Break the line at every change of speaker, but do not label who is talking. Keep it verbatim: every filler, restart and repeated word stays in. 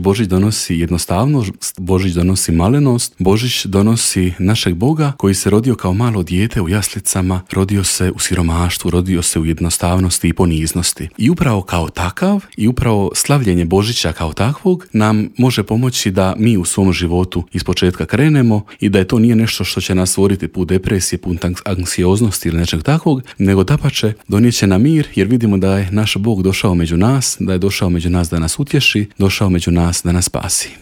Božić donosi jednostavnost, Božić donosi malenost, Božić donosi našeg Boga koji se rodio kao malo dijete u jaslicama, rodio se u siromaštvu, rodio se u jednostavnosti i poniznosti. I upravo kao takav i upravo slavljenje Božića kao takvog nam može pomoći da mi u svom životu ispočetka krenemo i da je to nije nešto što će nas stvoriti put depresije, put anksioznosti ili nečeg takvog, nego dapače donijet će nam mir jer vidimo da je naš Bog došao među nas, da je došao među nas da nas utješi, došao među nas da nas spasi.